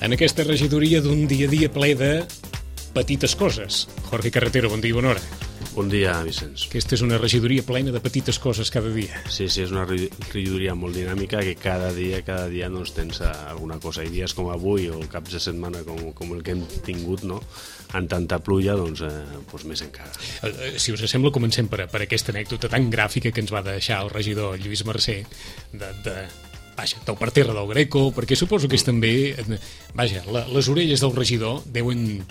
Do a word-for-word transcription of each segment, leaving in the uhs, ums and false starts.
en aquesta regidoria d'un dia a dia ple de petites coses. Jorge Carretero, bon dia i bona hora. Bon dia, Vicenç. Aquesta és una regidoria plena de petites coses cada dia. Sí, sí, és una regidoria molt dinàmica que cada dia, cada dia doncs, tens alguna cosa. I dies com avui o caps de setmana com, com el que hem tingut, no?, en tanta pluja, doncs, eh, doncs més encara. Si us sembla, comencem per, per aquesta anècdota tan gràfica que ens va deixar el regidor Lluís Mercè de... de... Vaja, del parterre del Greco, perquè suposo que és també... Vaja, la, les orelles del regidor deuen...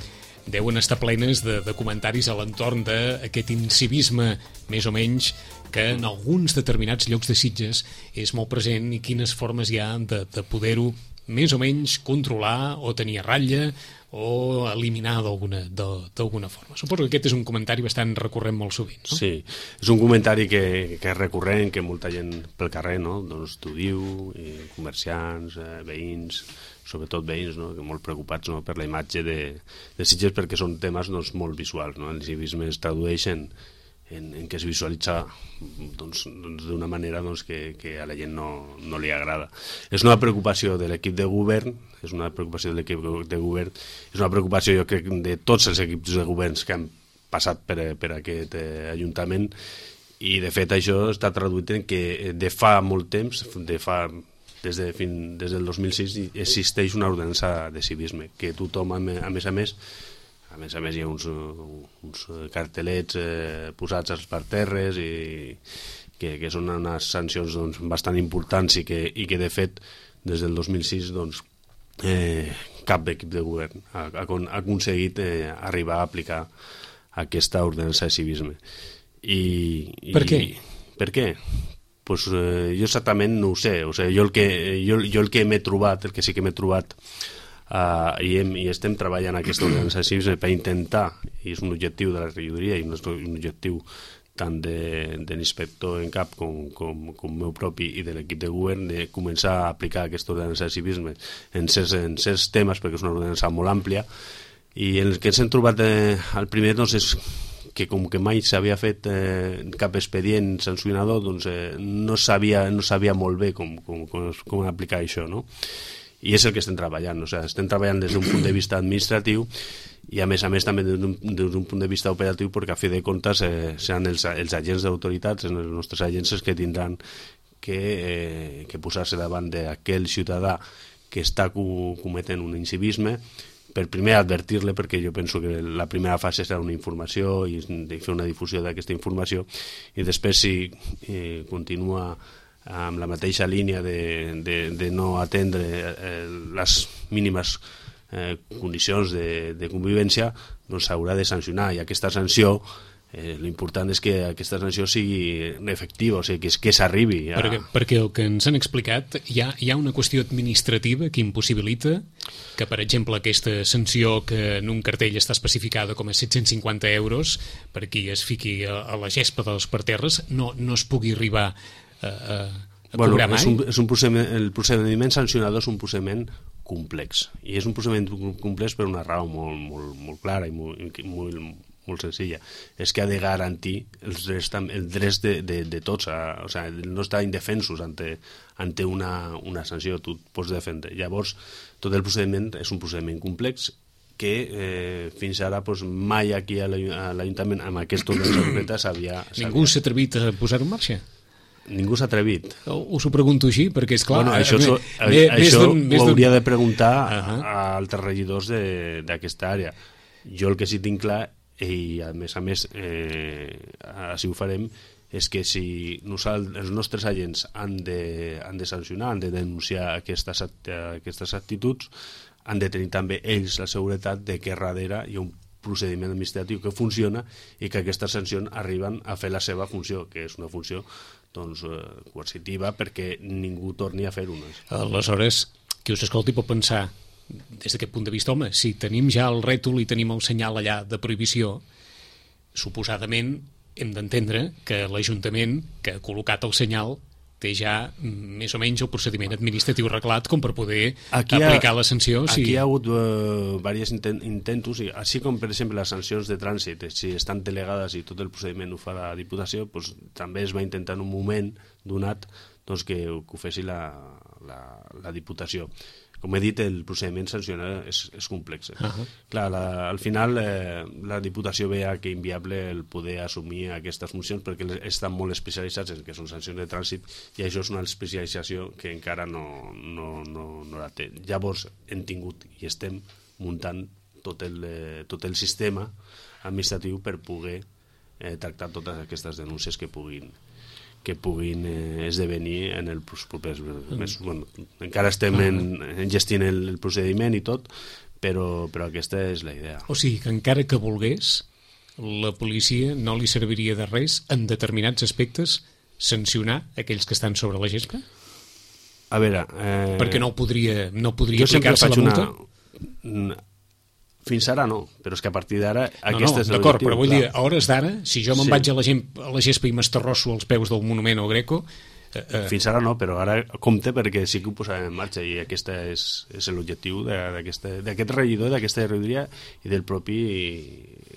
deuen estar plenes de, de comentaris a l'entorn d'aquest incivisme, més o menys, que en alguns determinats llocs de Sitges és molt present i quines formes hi ha de, de poder-ho més o menys controlar o tenir a ratlla o eliminar d'alguna d'alguna forma. Suposo que aquest és un comentari bastant recurrent molt sovint, no? Sí, és un comentari que, que és recurrent, que molta gent pel carrer, no?, doncs t'ho diu, i comerciants, eh, veïns, sobretot veïns, no?, que molt preocupats, no?, per la imatge de, de Sitges, perquè són temes, doncs, molt visuals, no? El civisme es tradueix en, en, en què es visualitza, doncs, doncs, d'una manera, doncs, que, que a la gent no, no li agrada. És una preocupació de l'equip de govern, és una preocupació de l'equip de govern, és una preocupació, jo crec, de tots els equips de governs que han passat per, per aquest eh, Ajuntament, i de fet això està traduït en que de fa molt temps, de fa... Des, de, fin, des del dos mil sis existeix una ordenança de civisme que tothom, a més a més a més a més hi ha uns, uns cartelets eh, posats als parterres i que, que són unes sancions, doncs, bastant importants i que, i que de fet des del dos mil sis doncs, eh, cap equip de govern ha, ha, ha aconseguit eh, arribar a aplicar aquesta ordenança de civisme. I, i, per què? Per què? Pues, eh, jo exactament no ho sé. O sigui, jo, el que, jo, jo el que m'he trobat, el que sí que m'he trobat, uh, i, hem, i estem treballant aquesta ordenança de civisme per intentar, i és un objectiu de la regidoria i un, un objectiu tant de, de l'inspector en cap com, com, com meu propi i de l'equip de govern, de començar a aplicar aquesta ordenança de civisme en certs, en certs temes, perquè és una ordenança molt àmplia, i el que ens hem trobat eh, al primer, doncs, és que com que mai s'havia fet eh, cap expedient sancionador, doncs eh, no, sabia, no sabia molt bé com, com, com, com aplicar això, no? I és el que estem treballant, o sigui, estem treballant des d'un punt de vista administratiu i a més a més també des d'un punt de vista operatiu, perquè a fi de comptes eh, seran els, els agents d'autoritats, els nostres agents que tindran que, eh, que posar-se davant d'aquell ciutadà que està cometent un incivisme, per primer advertir-le, perquè jo penso que la primera fase serà una informació i fer una difusió d'aquesta informació, i després si eh, continua amb la mateixa línia de, de, de no atendre eh, les mínimes eh, condicions de, de convivència, doncs s'haurà de sancionar, i aquesta sanció Eh, l'important és que aquesta sanció sigui efectiva, o sigui, que, que s'arribi a... perquè, perquè el que ens han explicat hi ha, hi ha una qüestió administrativa que impossibilita que, per exemple, aquesta sanció que en un cartell està especificada com a set-cents cinquanta euros per qui es fiqui a, a la gespa dels parterres no, no es pugui arribar a, a, a bueno, cobrar mai? És un, és un procediment, el procediment sancionador és un procediment complex, i és un procediment complex per una raó molt, molt, molt clara i molt, molt molt senzilla, és que ha de garantir els drets, els drets de, de, de tots, a, o sigui, no estar indefensos ante, ante una, una sanció, tu et pots defendre. Llavors, tot el procediment és un procediment complex que eh, fins ara pues, mai aquí a l'Ajuntament amb aquest ordenança concreta s'havia... Ningú s'ha atrevit a posar-ho en marxa? Ningú s'ha atrevit. Us ho pregunto així, perquè és clar... Bueno, això so, ve, això ho hauria de preguntar uh -huh. a altres regidors d'aquesta àrea. Jo el que sí tinc clar, i a més a més eh, així ho farem, és que si nosaltres, els nostres agents han de, han de sancionar, han de denunciar aquestes, aquestes actituds, han de tenir també ells la seguretat de que darrere hi ha un procediment administratiu que funciona i que aquestes sancions arriben a fer la seva funció, que és una funció doncs, eh, coercitiva perquè ningú torni a fer-ho. Aleshores, qui us escolti pot pensar, des d'aquest punt de vista, home, si tenim ja el rètol i tenim el senyal allà de prohibició, suposadament hem d'entendre que l'Ajuntament que ha col·locat el senyal té ja més o menys el procediment administratiu reglat com per poder aquí aplicar ha, la sanció. Aquí si... hi ha hagut uh, diversos intent, intentos, així com per exemple les sancions de trànsit, si estan delegades i tot el procediment ho fa la Diputació, doncs, també es va intentar en un moment donat doncs, que, que ho fessi la, la, la Diputació. com he dit, el procediment sancionar és, és complex. Uh -huh. Clar, la, al final eh, la Diputació veia que inviable el poder assumir aquestes funcions perquè estan molt especialitzats en que són sancions de trànsit i això és una especialització que encara no, no, no, no la té. Llavors hem tingut i estem muntant tot el, eh, tot el sistema administratiu per poder eh, tractar totes aquestes denúncies que puguin que puguin eh, esdevenir en els propers mesos. Bueno, encara estem en, en gestint el, el procediment i tot, però, però aquesta és la idea. O sigui que encara que volgués, la policia no li serviria de res en determinats aspectes sancionar aquells que estan sobre la gespa? A veure... Eh, perquè no podria, no podria aplicar-se la multa? Una... Fins ara no, però és que a partir d'ara no, aquest no, és l'objectiu. D'acord, però vull clar. dir, a hores d'ara, si jo me'n sí. vaig a la, gent, a la gespa i m'estarrosso als peus del monument o Greco... Eh, eh. Fins ara no, però ara compte perquè sí que ho posarem en marxa i aquest és, és l'objectiu d'aquest regidor, d'aquesta regidoria i del propi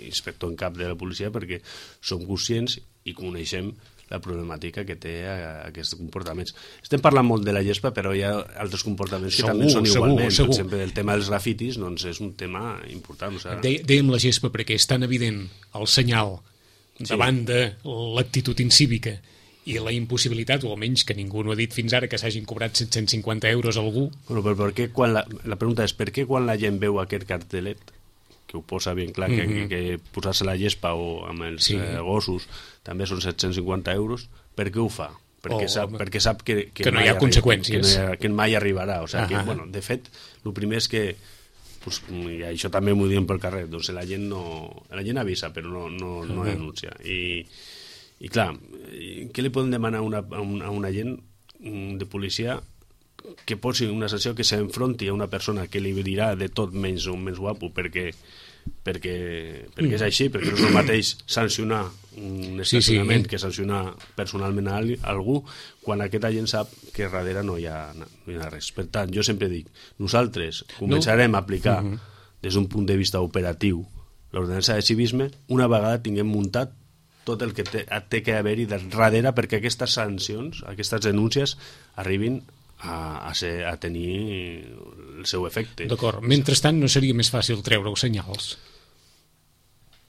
inspector en cap de la policia, perquè som conscients i coneixem la problemàtica que té aquests comportaments. Estem parlant molt de la gespa, però hi ha altres comportaments segur, que també són igualment. Segur, segur. Per exemple, el tema dels grafitis doncs, és un tema important. O sigui... Dèiem la gespa perquè és tan evident el senyal davant sí. de l'actitud incívica i la impossibilitat, o almenys que ningú no ha dit fins ara que s'hagin cobrat set-cents cinquanta euros a algú. Bueno, però per què quan la, la pregunta és per què quan la gent veu aquest cartelet que ho posa ben clar, que, mm-hmm. que, que posar-se la gespa o amb els sí. eh, gossos també són set-cents cinquanta euros, per què ho fa? Perquè, oh, sap, perquè sap que, que, que no hi ha conseqüències. Que, no hi ha, que mai arribarà. O sigui, que, bueno, de fet, el primer és que, pues, i això també m'ho diem pel carrer, doncs la gent, no, la gent avisa, però no, no, no uh-huh. denuncia. I, I clar, què li poden demanar a una, a una, a una gent de policia que posi una sanció que s'enfronti a una persona que li dirà de tot menys un més guapo perquè perquè, perquè és així, perquè no és el mateix sancionar un estacionament sí, sí. que sancionar personalment a algú quan aquesta gent sap que darrere no hi ha, no hi ha res. Per tant, jo sempre dic, nosaltres començarem no. a aplicar uh-huh. des d'un punt de vista operatiu l'ordenança de civisme una vegada tinguem muntat tot el que té, té que haver-hi darrere perquè aquestes sancions, aquestes denúncies arribin a, a, ser, a tenir el seu efecte. D'acord. Mentrestant, no seria més fàcil treure-ho senyals?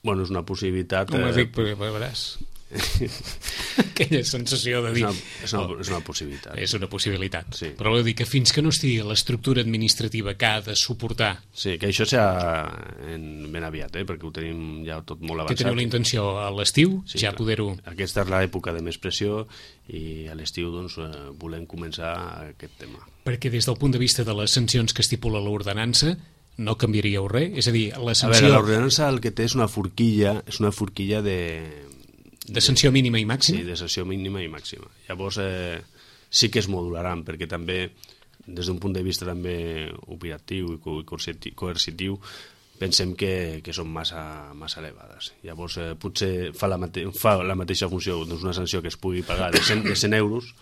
Bueno, és una possibilitat... No m'ho dic, però veuràs. Aquella sensació de dir... És una, és una, és una possibilitat. És una possibilitat. Sí. Però vol dir que fins que no estigui l'estructura administrativa que ha de suportar... Sí, que això serà ben aviat, eh? perquè ho tenim ja tot molt avançat. Que teniu la intenció a l'estiu, sí, ja clar. poder-ho... Aquesta és l'època de més pressió i a l'estiu doncs, volem començar aquest tema. Perquè des del punt de vista de les sancions que estipula l'ordenança no canviaríeu res? És a dir, la sanció... A veure, l'ordenança el que té és una forquilla, és una forquilla de... De sanció mínima i màxima? Sí, de sanció mínima i màxima. Llavors eh, sí que es modularan, perquè també, des d'un punt de vista també operatiu i coercitiu, pensem que, que són massa, massa elevades. Llavors eh, potser fa la, mate fa la mateixa funció doncs una sanció que es pugui pagar de cent, de cent euros,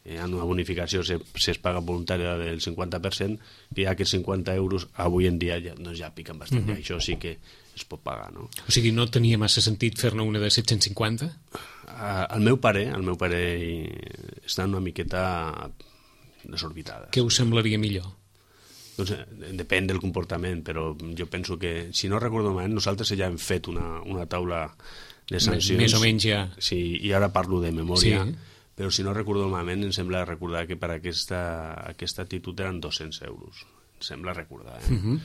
hi ha una bonificació si, si es paga voluntària del cinquanta per cent, que ja que cinquanta euros avui en dia ja, doncs ja piquen bastant, uh-huh. això sí que es pot pagar, no? O sigui, no tenia massa sentit fer-ne una de set-cents cinquanta? Uh, el meu pare, el meu pare està una miqueta desorbitada. Què us semblaria millor? Doncs depèn del comportament, però jo penso que, si no recordo malament, nosaltres ja hem fet una, una taula de sancions. Més o menys ja. Sí, i ara parlo de memòria. Sí. Però si no recordo malament, em sembla recordar que per aquesta, aquesta actitud eren dos-cents euros. Em sembla recordar, eh? Uh-huh.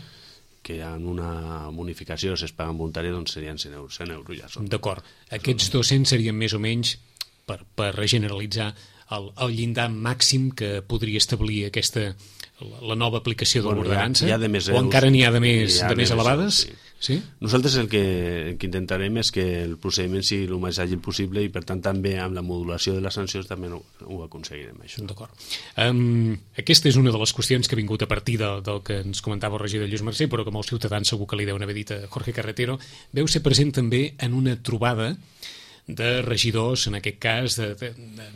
Que en una bonificació, si es paguen voluntària, doncs serien cent euros. cent euros ja són. D'acord. Aquests dos-cents serien més o menys, per, per generalitzar, el, el llindar màxim que podria establir aquesta, la, la nova aplicació de bueno, l'ordenança? O encara n'hi ha de més, de més elevades? Sí. Sí? Nosaltres el que, el que intentarem és que el procediment sigui el més àgil possible i per tant també amb la modulació de les sancions també ho, ho aconseguirem això. D'acord. Um, aquesta és una de les qüestions que ha vingut a partir de, del que ens comentava el regidor Lluís Mercè, però que molts ciutadans segur que li deuen haver dit a Jorge Carretero. Veu ser present també en una trobada de regidors, en aquest cas, de, de,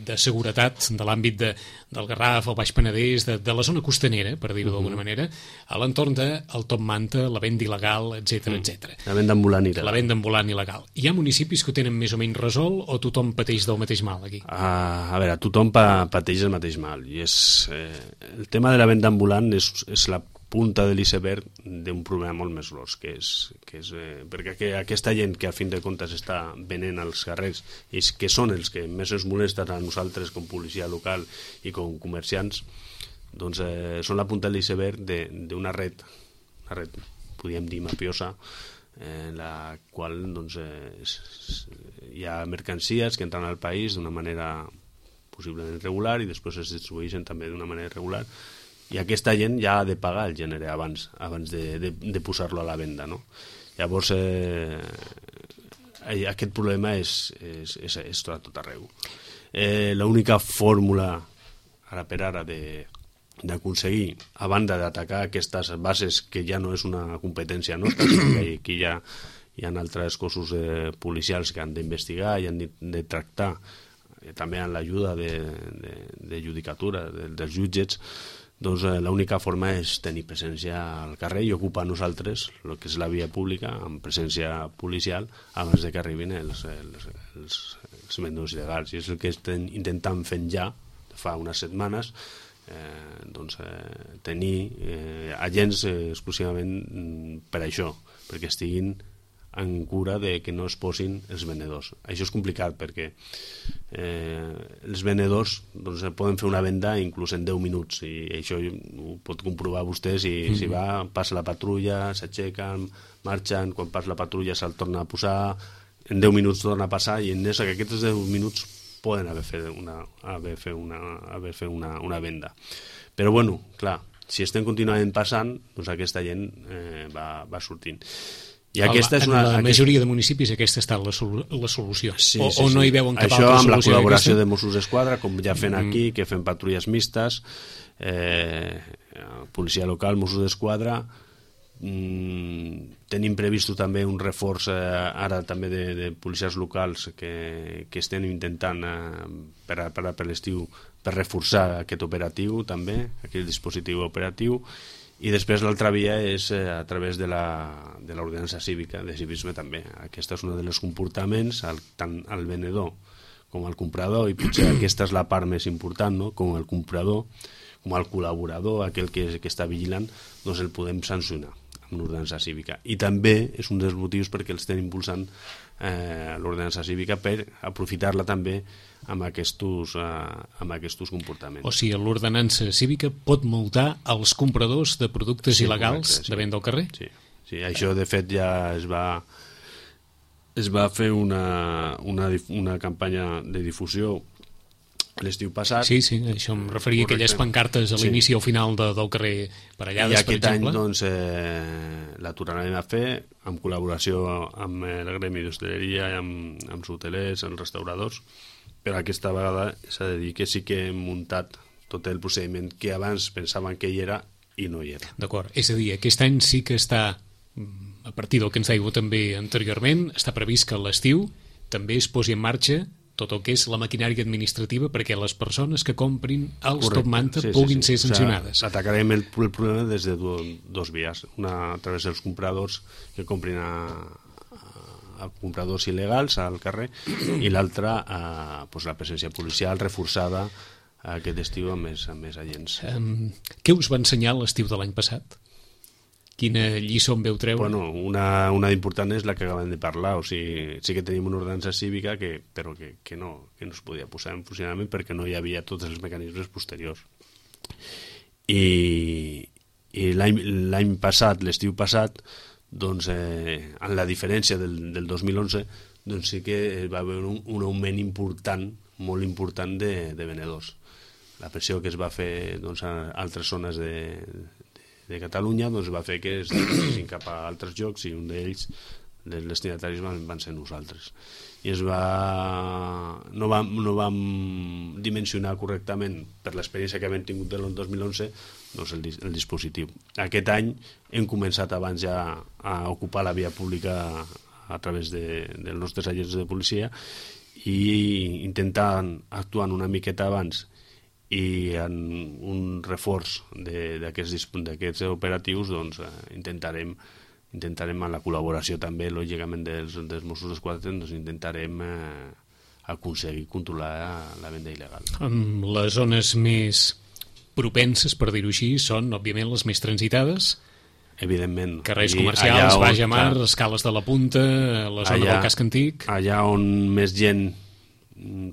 de seguretat de l'àmbit de, del Garraf, el Baix Penedès, de, de la zona costanera, per dir-ho d'alguna uh -huh. manera, a l'entorn del top manta, la venda il·legal, etcètera, uh -huh. etcètera. La venda ambulant il·legal. La venda ambulant il·legal. Hi ha municipis que ho tenen més o menys resolt o tothom pateix del mateix mal aquí? Uh, a veure, tothom pa, pateix el mateix mal. I és, eh, el tema de la venda ambulant és, és la punta de l'iceberg d'un problema molt més gros, que és, que és eh, perquè que aquesta gent que a fin de comptes està venent als carrers i que són els que més ens molesten a nosaltres com policia local i com comerciants, doncs eh, són la punta de l'iceberg d'una red, una red, podríem dir mafiosa, en la qual doncs, eh, és, hi ha mercancies que entren al país d'una manera possiblement regular i després es distribueixen també d'una manera irregular, i aquesta gent ja ha de pagar el gènere abans abans de, de, de posar-lo a la venda, no? Llavors eh, aquest problema és, és, és, és tot, tot arreu. Eh, l'única fórmula ara per ara de d'aconseguir, a banda d'atacar aquestes bases, que ja no és una competència nostra, sinó que aquí hi ha, hi ha altres cossos eh, policials que han d'investigar i han de, de tractar, eh, també amb l'ajuda de, de, de judicatura, de, dels jutgets, doncs eh, l'única forma és tenir presència al carrer i ocupar nosaltres el que és la via pública amb presència policial abans de que arribin els, els, els, els vendedors il·legals. I és el que estem intentant fent ja fa unes setmanes, eh, doncs, eh, tenir eh, agents eh, exclusivament per això, perquè estiguin en cura de que no es posin els venedors. Això és complicat perquè eh, els venedors doncs, poden fer una venda inclús en deu minuts i això ho pot comprovar vostè si, mm-hmm. si va, passa la patrulla, s'aixequen, marxen, quan passa la patrulla se'l torna a posar, en deu minuts torna a passar i en aquests deu minuts poden haver fet una, haver fet una, haver fet una, una venda. Però bueno, clar, si estem continuament passant, doncs aquesta gent eh, va, va sortint. I aquesta és una, en la aquesta... majoria de municipis aquesta ha estat la, sol la solució, sí, o, sí, o no sí. hi veuen cap això altra amb la solució col·laboració aquesta? de Mossos d'Esquadra, com ja fem mm. aquí, que fem patrulles mistes, eh, policia local, Mossos d'Esquadra, mm, tenim previst també un reforç eh, ara també de, de policies locals que, que estem intentant eh, per, per, per l'estiu per reforçar aquest operatiu també, aquest dispositiu operatiu. I després l'altra via és eh, a través de l'ordenança cívica, de civisme també. Aquest és un dels comportaments, el, tant el venedor com el comprador, i potser aquesta és la part més important, no? Com el comprador, com el col·laborador, aquell que, que està vigilant, doncs el podem sancionar amb l'ordenança cívica. I també és un dels motius perquè els estem impulsant eh, l'ordenança cívica per aprofitar-la també amb aquests, eh, amb aquests comportaments. O sigui, l'ordenança cívica pot multar els compradors de productes sí, il·legals correcte, sí. de venda al carrer? Sí, sí, això de fet ja es va es va fer una, una, una campanya de difusió l'estiu passat. Sí, sí, això em referia a aquelles pancartes a l'inici sí. o al final de, del carrer Parellades, I aquest per exemple. any doncs, eh, la tornarem a fer en col·laboració amb el gremi d'hostaleria, amb, amb els hotelers, els restauradors, però aquesta vegada s'ha de dir que sí que hem muntat tot el procediment que abans pensaven que hi era i no hi era. D'acord, és a dir, aquest any sí que està, a partir del que ens deia també anteriorment, està previst que a l'estiu també es posi en marxa tot el que és la maquinària administrativa perquè les persones que comprin els Correcte. top manta sí, puguin sí, sí. ser sancionades. O sea, atacarem el, el problema des de do, dos vies. Una a través dels compradors que comprin a, a compradors il·legals al carrer i l'altra a pues, la presència policial reforçada aquest estiu amb més, amb més agents. Um, què us va ensenyar l'estiu de l'any passat? Quina lliçó en veu treure? Bueno, una, una important és la que acabem de parlar, o sigui, sí que tenim una ordenança cívica que, però que, que, no, que no es podia posar en funcionament perquè no hi havia tots els mecanismes posteriors. I, i l'any passat, l'estiu passat, doncs, eh, en la diferència del, del dos mil onze, doncs sí que va haver un, un augment important, molt important de, de venedors. La pressió que es va fer doncs, a altres zones de de Catalunya doncs va fer que es dirigissin cap a altres llocs i un d'ells, dels destinataris, van, van ser nosaltres. I es va... no vam, no vam dimensionar correctament, per l'experiència que hem tingut del dos mil onze, doncs el, el dispositiu. Aquest any hem començat abans ja a ocupar la via pública a través de, dels nostres agents de policia, i intentant actuar una miqueta abans i en un reforç d'aquests operatius, doncs eh, intentarem intentarem amb la col·laboració també, lògicament, dels, dels Mossos d'Esquadra, doncs intentarem eh, aconseguir controlar la venda il·legal. Les zones més propenses, per dir-ho així, són, òbviament, les més transitades. Evidentment. Carrers comercials, on, Baix a Mar, clar, Escales de la Punta, la zona allà, del Casc Antic. Allà on més gent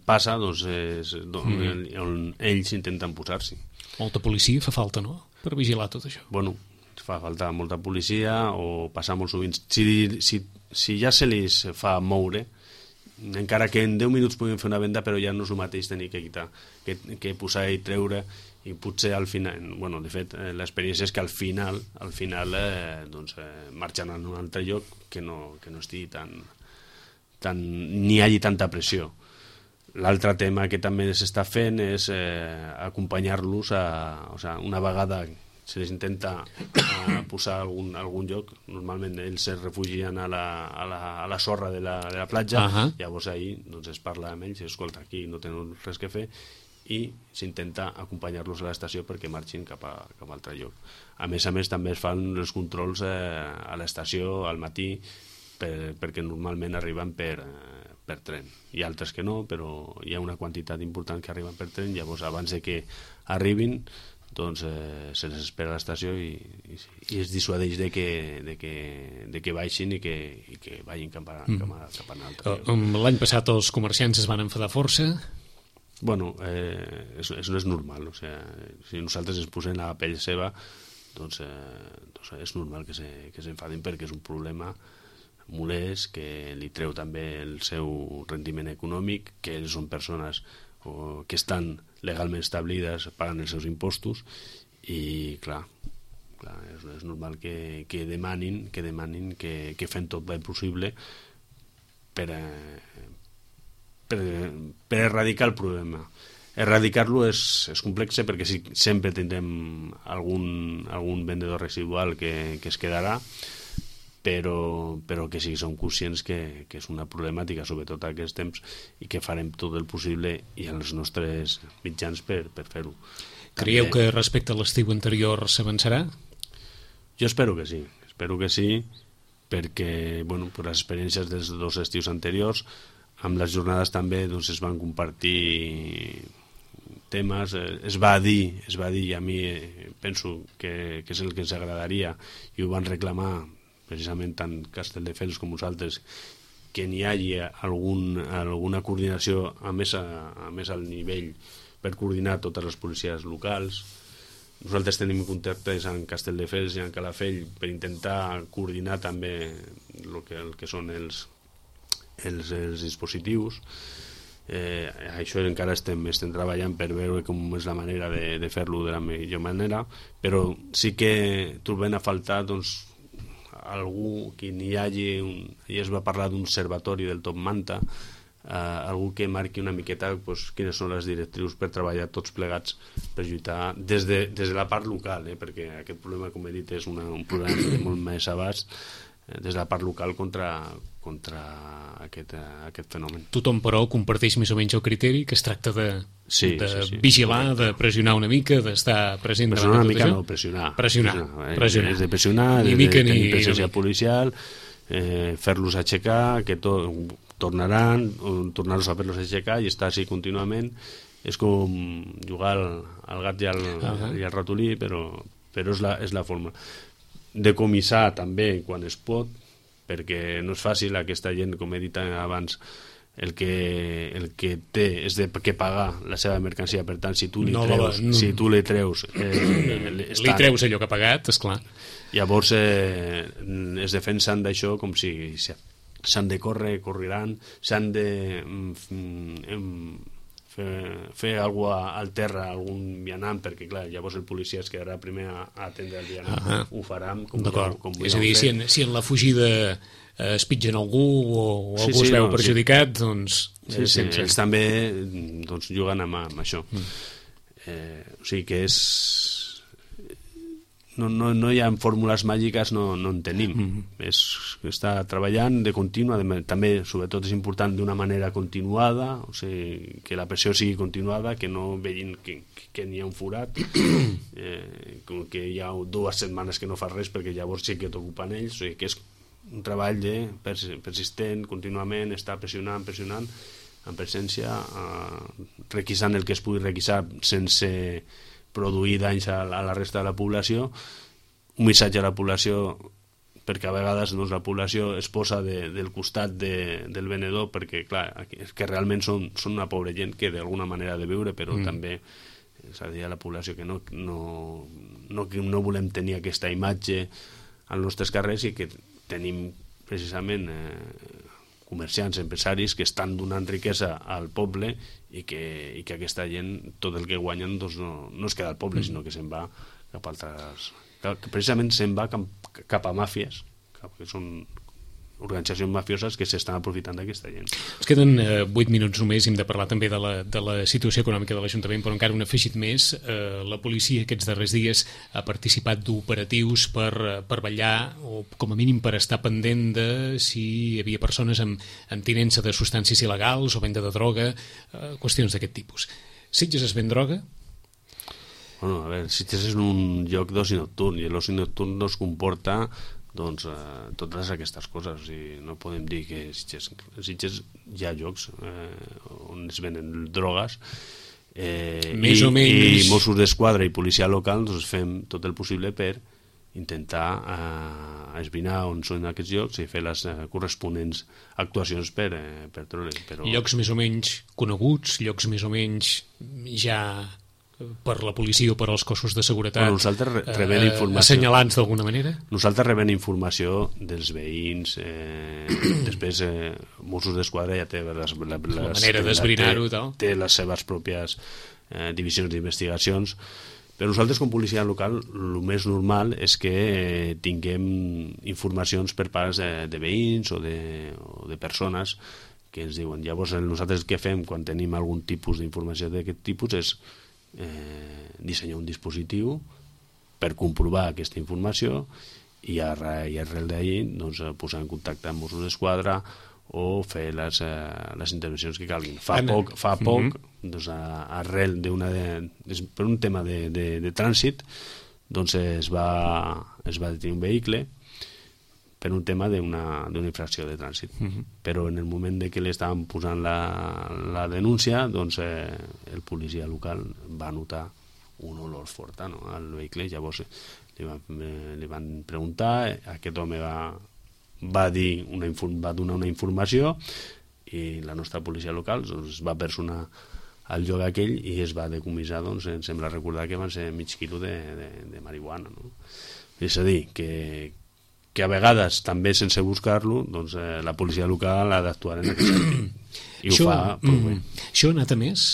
passa, doncs és mm. on ells intenten posar-s'hi. Molta policia fa falta, no?, per vigilar tot això. Bueno, fa falta molta policia o passar molt sovint. Si, si, si ja se li fa moure, encara que en deu minuts puguin fer una venda, però ja no és el mateix tenir que quitar, que, que posar i treure, i potser al final, bueno, de fet, eh, l'experiència és que al final, al final eh, doncs, eh, marxen a un altre lloc que no, que no estigui tan, tan, ni hi hagi tanta pressió. L'altre tema que també s'està fent és eh, acompanyar-los a, o sigui, una vegada se les intenta eh, posar a algun, a algun lloc, normalment ells es refugien a la, a la, a la sorra de la, de la platja, uh -huh. llavors ahir doncs, es parla amb ells, escolta, aquí no tenen res que fer, i s'intenta acompanyar-los a l'estació perquè marxin cap a, cap a altre lloc. A més a més també es fan els controls eh, a l'estació al matí per, perquè normalment arriben per, eh, per tren. Hi ha altres que no, però hi ha una quantitat important que arriben per tren, llavors abans de que arribin doncs eh, se les espera a l'estació i, i, i es dissuadeix de que, de que, de que baixin i que, i que vagin cap a, cap a, cap a un altre lloc. L'any passat els comerciants es van enfadar força. Bueno, eh, és, és, no és normal, o sigui, si nosaltres ens posem a la pell seva, doncs, eh, doncs és normal que s'enfadin perquè és un problema molest, que li treu també el seu rendiment econòmic, que ells són persones o, que estan legalment establides, paguen els seus impostos, i clar, clar és, és normal que, que demanin que demanin que, que fem tot el possible per a Per, per erradicar el problema. Erradicar-lo és, és complex perquè si, sempre tindrem algun, algun vendedor residual que, que es quedarà, però, però que sí som conscients que, que és una problemàtica, sobretot a aquests temps, i que farem tot el possible i els nostres mitjans per, per fer-ho. Creieu També, que respecte a l'estiu anterior s'avançarà? Jo espero que sí, espero que sí, perquè, bueno, per les experiències dels dos estius anteriors, amb les jornades també doncs, es van compartir temes, eh, es va dir, es va dir i a mi eh, penso que, que és el que ens agradaria i ho van reclamar precisament tant Castelldefels com nosaltres, que n'hi hagi algun, alguna coordinació a més, a, a més al nivell per coordinar totes les policies locals. Nosaltres tenim contactes amb Castelldefels i amb Calafell per intentar coordinar també el que, el que són els Els, els dispositius. Eh, això encara estem, estem treballant per veure com és la manera de, de fer-lo de la millor manera, però sí que trobem a faltar doncs, algú que n'hi hagi un, ja es va parlar d'un observatori del Top Manta, eh, algú que marqui una miqueta doncs, quines són les directrius per treballar tots plegats per lluitar des de, des de la part local, eh, perquè aquest problema, com he dit, és una, un problema de molt més abast, eh, des de la part local contra contra aquest, uh, aquest fenomen. Tothom, però, comparteix més o menys el criteri que es tracta de, sí, de sí, sí, vigilar, correcte. De pressionar una mica, d'estar present pressionar davant una de tot mica, això? no, pressionar. Pressionar, pressionar, eh? pressionar. És de pressionar, ni de, mica, de tenir ni, presència ni... policial, eh, fer-los aixecar, que to tornaran, tornar-los a fer-los aixecar i estar així contínuament. És com jugar al, al gat i al, uh -huh. i al ratolí, però, però és, la, és la forma. Decomissar també quan es pot, perquè no és fàcil, aquesta gent, com he dit abans, el que, el que té és de que pagar la seva mercancia, per tant, si tu li no, treus, no. si tu li treus eh, li treus allò que ha pagat, esclar. Llavors eh, es defensen d'això com si s'han de córrer, correran, s'han de mm, fer, fer alguna cosa al terra, algun vianant, perquè clar, llavors el policia es quedarà primer a, a atendre el vianant. Uh -huh. Ho faran com, com és a dir, si en, si en la fugida eh, es pitgen algú o, o sí, algú sí, es veu no, perjudicat, sí. doncs... Sí, sí, sense... ells també doncs, juguen amb, amb això. Mm. Eh, o sigui que és... no, no, no hi ha fórmules màgiques, no, no en tenim. Mm-hmm. És, està treballant de contínua, de, també, sobretot, és important d'una manera continuada, o sigui, que la pressió sigui continuada, que no vegin que, que n'hi ha un forat, eh, com que hi ha dues setmanes que no fa res, perquè llavors sí que t'ocupen ells, o sigui, que és un treball de persistent, contínuament, està pressionant, pressionant, en presència, eh, requisant el que es pugui requisar sense produir danys a la resta de la població, un missatge a la població, perquè a vegades doncs, la població es posa de, del costat de, del venedor, perquè clar, és que realment són, són una pobra gent que d'alguna manera ha de viure, però mm. també és a dir a la població que no, no, no, que no volem tenir aquesta imatge als nostres carrers i que tenim precisament eh, comerciants, empresaris que estan donant riquesa al poble i que, i que aquesta gent, tot el que guanyen doncs no, no es queda al poble, mm. sinó que se'n va cap a altres... que precisament se'n va cap, cap a màfies, que són organitzacions mafioses que s'estan aprofitant d'aquesta gent. Ens queden eh, vuit minuts només, hem de parlar també de la, de la situació econòmica de l'Ajuntament, però encara un afegit més. Eh, la policia aquests darrers dies ha participat d'operatius per, per vetllar, o com a mínim per estar pendent de si hi havia persones amb, amb tinença de substàncies il·legals o venda de droga, eh, qüestions d'aquest tipus. Sitges es ven droga? Bueno, a veure, Sitges és un lloc d'oci nocturn i l'oci nocturn no es comporta doncs eh, totes aquestes coses, o sigui, no podem dir que Sitges, Sitges hi ha llocs eh, on es venen drogues eh, més i, o menys... i Mossos d'Esquadra i policia local doncs fem tot el possible per intentar eh, esbrinar on són aquests llocs i fer les eh, corresponents actuacions per, eh, per trobar-los. Però... Llocs més o menys coneguts, llocs més o menys ja per la policia o per als cossos de seguretat, bueno, nosaltres rebem eh, informació, assenyalants d'alguna manera? Nosaltres rebem informació dels veïns, eh, després eh, Mossos d'Esquadra ja té les, les, la manera d'esbrinar-ho i tal. Té les seves pròpies eh, divisions d'investigacions, però nosaltres com policia local el més normal és que eh, tinguem informacions per parts de, de veïns o de, o de persones que ens diuen. Llavors nosaltres el que fem quan tenim algun tipus d'informació d'aquest tipus és Eh, dissenyar un dispositiu per comprovar aquesta informació i, arre, i arrel d'ahir doncs, posar en contacte amb Mossos d'Esquadra o fer les, eh, les intervencions que calguin. Fa Anna. poc, fa poc mm-hmm. doncs, arrel d'una de, per un tema de, de, de trànsit doncs es va, es va detenir un vehicle per un tema d'una infracció de trànsit. Uh-huh. Però en el moment de que li estaven posant la, la denúncia, doncs eh, el policia local va notar un olor fort no, al vehicle. Llavors li van, eh, li van preguntar, aquest home va, va, dir una, va donar una informació i la nostra policia local doncs, va personar al lloc aquell i es va decomissar, doncs, em sembla recordar que van ser mig quilo de, de, de marihuana. No? És a dir, que que a vegades també sense buscar-lo doncs, eh, la policia local ha d'actuar en aquest sentit i això, ho fa prou bé. Això ha anat a més?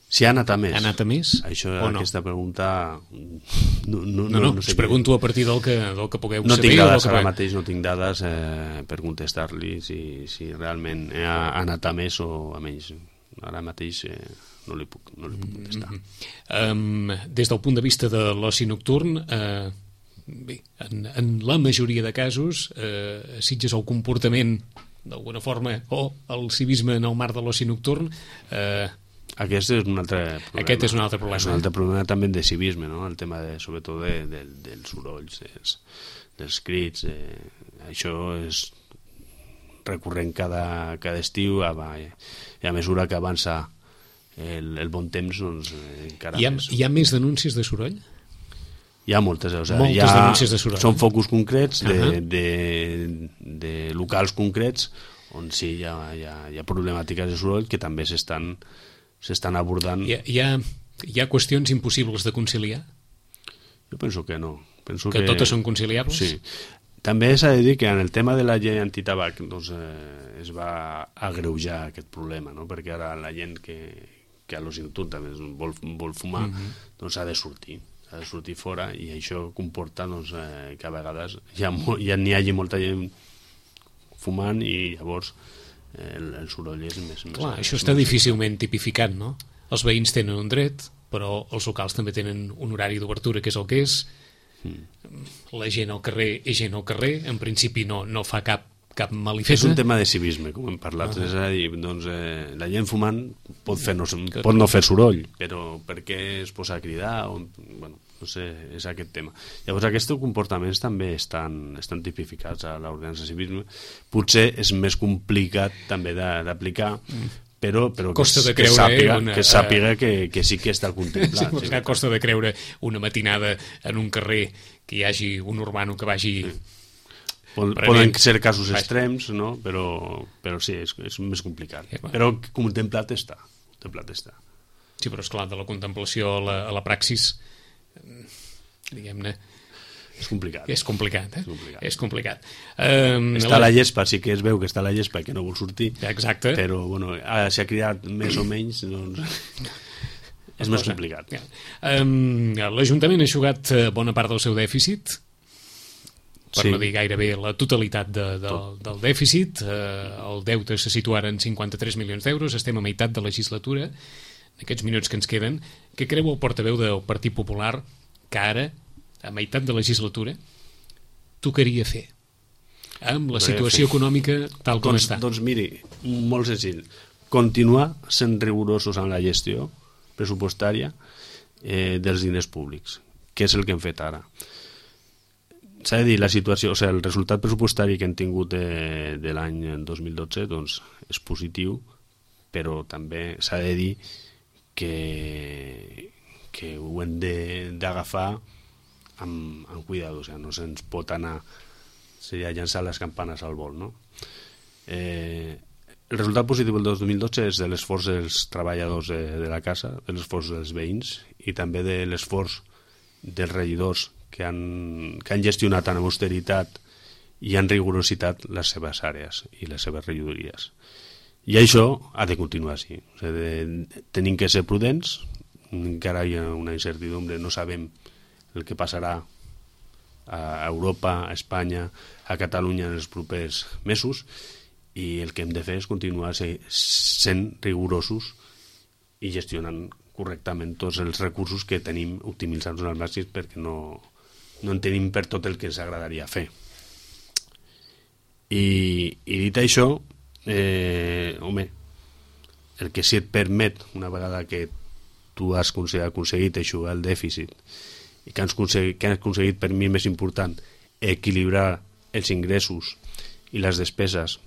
Si ha anat a més? Ha anat a més? Això, o no? Aquesta pregunta no, no, no, no, no, no sé us pregunto a partir del que, del que pugueu no saber. Tinc dades, que... ara mateix no tinc dades eh, per contestar-li si, si realment ha, ha anat a més o a menys. Ara mateix eh, no li puc, no li puc contestar. Mm-hmm. Um, des del punt de vista de l'oci nocturn, eh, bé, en, en la majoria de casos eh, Sitges el comportament d'alguna forma o el civisme en el marc de l'oci nocturn eh, aquest és un altre problema. Aquest és un altre problema. És un altre problema també de civisme, no? El tema de, sobretot de, de, dels sorolls, dels, dels crits, eh, això és recurrent cada, cada estiu a, i a mesura que avança el, el bon temps doncs, encara hi ha, més. Hi ha més denúncies de soroll? Hi ha moltes, o sigui, moltes hi ha, denúncies de soroll. Són focus concrets de, uh-huh. de, de locals concrets on sí hi ha, hi ha, hi ha problemàtiques de soroll que també s'estan s'estan abordant. Hi ha, hi, ha, hi ha qüestions impossibles de conciliar? Jo penso que no. Penso que, que totes són conciliables? Sí. També s'ha de dir que en el tema de la llei antitabac doncs, eh, es va agreujar aquest problema, no? Perquè ara la gent que, que a l'oci nocturn també vol, vol fumar uh-huh. doncs ha de sortir ha de sortir fora i això comporta doncs, eh, que a vegades ja, ja n'hi hagi molta gent fumant i llavors eh, el, el soroll és més... Clar, més, això està més difícilment tipificat, no? Els veïns tenen un dret, però els locals també tenen un horari d'obertura que és el que és Mm. La gent al carrer és gent al carrer, en principi no, no fa cap cap És malifeta. un tema de civisme, com hem parlat. Uh -huh. És a dir, doncs, eh, la gent fumant pot, fer no, que... pot no fer soroll, però per què es posa a cridar? O, bueno, no sé, és aquest tema. Llavors, aquests comportaments també estan, estan tipificats a l'ordenança de civisme. Potser és més complicat també d'aplicar, mm. però, però costa que, de creure, que sàpiga, eh, una, que, sàpiga que, que sí que està contemplat. Sí, sí, costa de creure una matinada en un carrer que hi hagi un urbano que vagi... Sí. Poden Prenent. ser casos extrems, no? però, però sí, és, és més complicat. Sí, però contemplat està. Contemplat està. Sí, però esclar, de la contemplació a la, a la praxis, diguem-ne... És complicat. És complicat, eh? És complicat. És complicat. Um, està la... la gespa, sí que es veu que està la gespa, que no vol sortir. Exacte. Però, bueno, s'ha cridat més o menys, doncs... és més complicat. Ja. Um, L'Ajuntament ha jugat bona part del seu dèficit, per sí. no dir gairebé la totalitat de, de, del dèficit. Eh, el deute se situa ara en cinquanta-tres milions d'euros, estem a meitat de legislatura, en aquests minuts que ens queden. Què creu el portaveu del Partit Popular que ara, a meitat de legislatura, tocaria fer amb la situació econòmica tal com doncs, està? Doncs miri, molt senzill, continuar sent rigorosos en la gestió pressupostària eh, dels diners públics, que és el que hem fet ara. S'ha de dir, la situació, o sigui, el resultat pressupostari que hem tingut de, de l'any dos mil dotze doncs, és positiu, però també s'ha de dir que, que ho hem d'agafar amb, amb cuidado, o sigui, no se'ns pot anar, seria llançar les campanes al vol, no? Eh, el resultat positiu del dos mil dotze és de l'esforç dels treballadors de, de la casa, de l'esforç dels veïns i també de l'esforç dels regidors que han, que han gestionat amb austeritat i amb rigorositat les seves àrees i les seves regidories. I això ha de continuar així. O sigui, de, tenim que ser prudents, encara hi ha una incertidumbre, no sabem el que passarà a Europa, a Espanya, a Catalunya en els propers mesos, i el que hem de fer és continuar sent rigorosos i gestionant correctament tots els recursos que tenim, optimitzant-los al màxim perquè no, no en tenim per tot el que ens agradaria fer. I, i dit això, eh, home, el que sí et permet, una vegada que tu has aconseguit eixugar el dèficit i que has aconseguit, que has aconseguit per mi més important, equilibrar els ingressos i les despeses,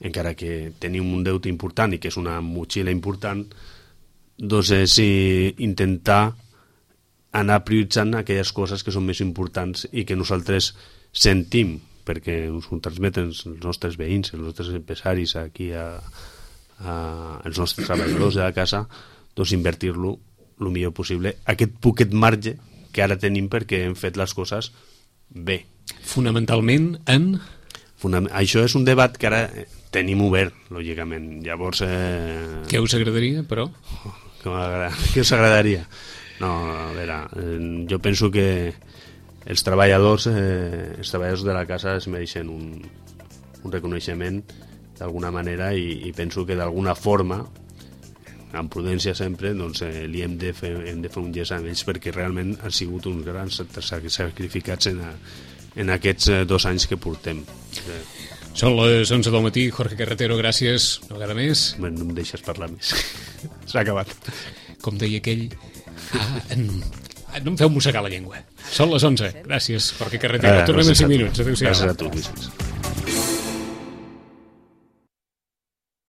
encara que tenim un deute important i que és una motxilla important, doncs és intentar anar prioritzant aquelles coses que són més importants i que nosaltres sentim, perquè ens ho transmeten els nostres veïns, els nostres empresaris aquí, a, a, els nostres treballadors de la casa, doncs invertir-lo el millor possible, aquest poquet marge que ara tenim perquè hem fet les coses bé. Fonamentalment en... Fonam... Això és un debat que ara tenim obert, lògicament. Llavors... Eh... Què us agradaria, però? Oh, què us agradaria? No, a veure, eh, jo penso que els treballadors, eh, els treballadors de la casa es mereixen un, un reconeixement d'alguna manera i, i penso que d'alguna forma, amb prudència sempre, doncs, eh, li hem de, fer, hem de fer un gest amb ells perquè realment han sigut uns grans sacrificats en, a, en aquests eh, dos anys que portem. Eh. Són les onze del matí, Jorge Carretero, gràcies una vegada més. Bueno, no em deixes parlar més. S'ha acabat. Com deia aquell... Ah, en... no em feu mossegar la llengua. Són les onze. Gràcies, Jorge Carretero. Ah, Tornem en cinc minuts. Adéu-siau. Gràcies a tu, Vicenç.